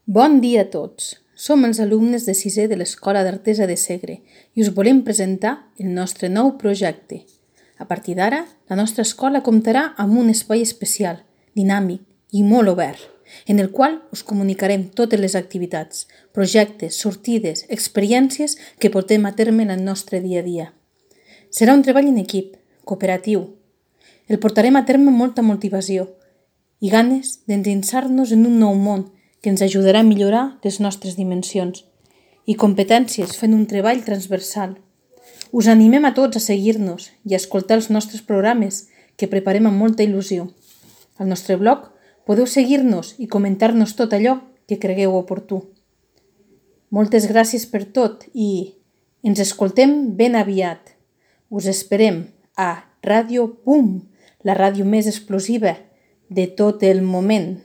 Bon dia a tots. Som els alumnes de sisè de l'Escola d'Artesa de Segre i us volem presentar el nostre nou projecte. A partir d'ara, la nostra escola comptarà amb un espai especial, dinàmic i molt obert, en el qual us comunicarem totes les activitats, projectes, sortides, experiències que portem a terme en el nostre dia a dia. Serà un treball en equip, cooperatiu. El portarem a terme amb molta motivació i ganes d'endinsar-nos en un nou món que ens ajudarà a millorar les nostres dimensions i competències fent un treball transversal. Us animem a tots a seguir-nos i a escoltar els nostres programes que preparem amb molta il·lusió. Al nostre blog podeu seguir-nos i comentar-nos tot allò que cregueu oportú. Moltes gràcies per tot i ens escoltem ben aviat. Us esperem a Ràdio PUM, la ràdio més explosiva de tot el moment.